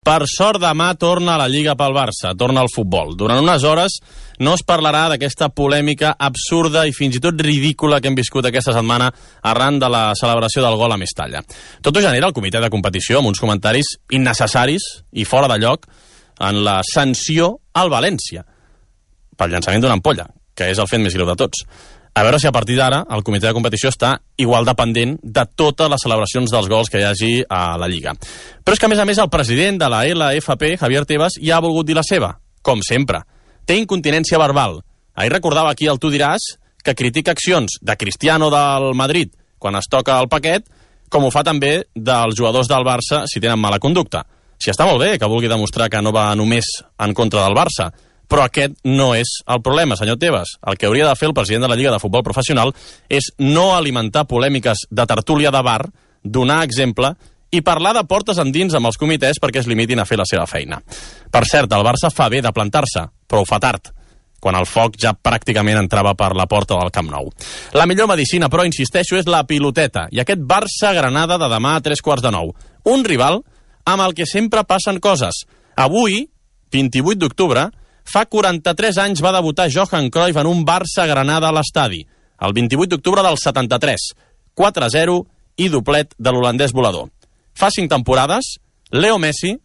Per sort, demà torna a la Lliga pel Barça, torna al futbol. Durant unes hores no es parlarà d'aquesta polèmica absurda i fins i tot ridícula que hem viscut aquesta setmana arran de la celebració del gol a Mestalla. Tot ho genera el comitè de competició amb uns comentaris innecessaris i fora de lloc en la sanció al València pel llançament d'una ampolla, que és el fet més greu de tots. A veure si a partir d'ara el comitè de competició està igual dependent de totes les celebracions dels gols que hi hagi a la Lliga. Però és que, a més, el president de la LFP, Javier Tebas, ja ha volgut dir la seva, com sempre. Té incontinència verbal. Ahir recordava aquí el Tu diràs que critica accions de Cristiano del Madrid quan es toca el paquet, com ho fa també dels jugadors del Barça si tenen mala conducta. Si està molt bé que vulgui demostrar que no va només en contra del Barça, però aquest no és el problema, senyor Tebas. El que hauria de fer el president de la Lliga de Futbol Professional és no alimentar polèmiques de tertúlia de bar, donar exemple i parlar de portes endins amb els comitès perquè es limitin a fer la seva feina. Per cert, el Barça fa bé de plantar-se, però ho fa tard, quan el foc ja pràcticament entrava per la porta del Camp Nou. La millor medicina, però, insisteixo, és la piloteta, i aquest Barça-Granada de demà a 8:45. Un rival amb el que sempre passen coses. Avui, 28 d'octubre, fa 43 anys va debutar Johan Cruyff en un Barça-Granada a l'estadi, el 28 d'octubre del 73, 4-0 i doblet de l'holandès volador. Fa 5 temporades, Leo Messi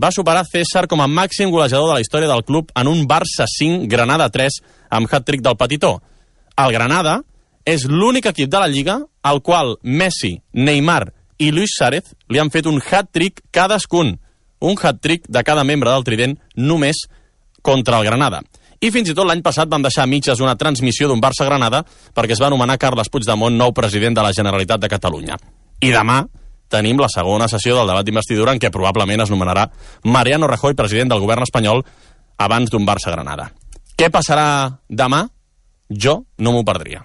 va superar César com a màxim golejador de la història del club en un Barça 5, Granada 3, amb hat-trick del Petitó. El Granada és l'únic equip de la Lliga al qual Messi, Neymar i Luis Suárez li han fet un hat-trick cadascun. Un hat-trick de cada membre del trident només contra el Granada. I fins i tot l'any passat van deixar a mitges una transmissió d'un Barça-Granada perquè es va anomenar Carles Puigdemont nou president de la Generalitat de Catalunya. I demà tenim la segona sessió del debat d'investidura en què probablement es nomenarà Mariano Rajoy president del govern espanyol abans d'un Barça-Granada. Què passarà demà? Jo no m'ho perdria.